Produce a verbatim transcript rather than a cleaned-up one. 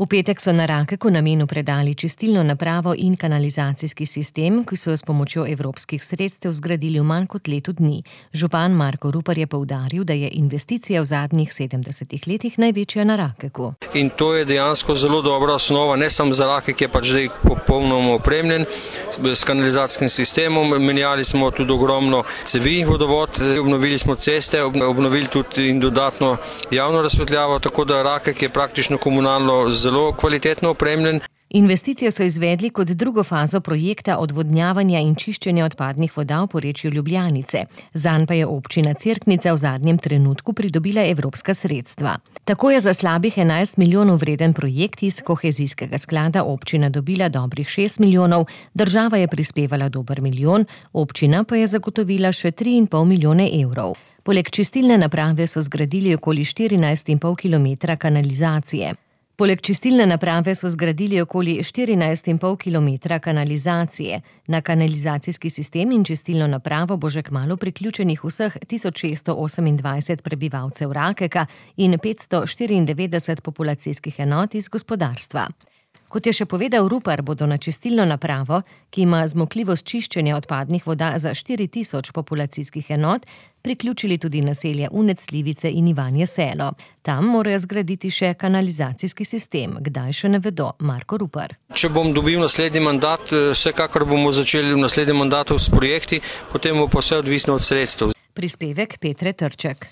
V petek so na Rakeku namenu predali čistilno napravo in kanalizacijski sistem, ki so jo s pomočjo evropskih sredstev zgradili v manj kot letu dni. Župan Marko Rupar je poudaril, da je investicija v zadnjih sedemdesetih letih največja na Rakeku. In to je dejansko zelo dobra osnova, ne samo za Rakek, je pač zdaj popolnoma opremljen s kanalizacijskim sistemom. Menjali smo tudi ogromno cevi vodovod, obnovili smo ceste, obnovili tudi in dodatno javno razsvetljavo, tako da Rakek je praktično komunalno zelo kvalitetno opremljen. Investicijo so izvedli kot drugo fazo projekta odvodnjavanja in čiščenja odpadnih voda v porečju Ljubljanice. Zanj pa je občina Cerknica v zadnjem trenutku pridobila evropska sredstva. Tako je za slabih enajst milijonov vreden projekt iz kohezijskega sklada občina dobila dobrih šest milijonov, država je prispevala dober milijon, občina pa je zagotovila še tri in pol milijone evrov. Poleg čistilne naprave so zgradili okoli štirinajst in pol kilometra kanalizacije. Poleg čistilne naprave so zgradili okoli štirinajst in pol kilometra kanalizacije. Na kanalizacijski sistem in čistilno napravo bo že kmalu priključenih vseh tisoč šeststo osemindvajset prebivalcev Rakeka in petsto štiriindevetdeset populacijskih enot iz gospodarstva. Kot je še povedal Rupar, bodo na čistilno napravo, ki ima zmogljivost čiščenja odpadnih voda za štiri tisoč populacijskih enot, priključili tudi naselja Unec, Slivice in Ivanje Selo. Tam morajo zgraditi še kanalizacijski sistem, kdaj še ne vedo, Marko Rupar. Če bom dobil naslednji mandat, vsekakor bomo začeli v naslednjem mandatu s projekti, potem bo pa vse odvisno od sredstev. Prispevek Petre Trček.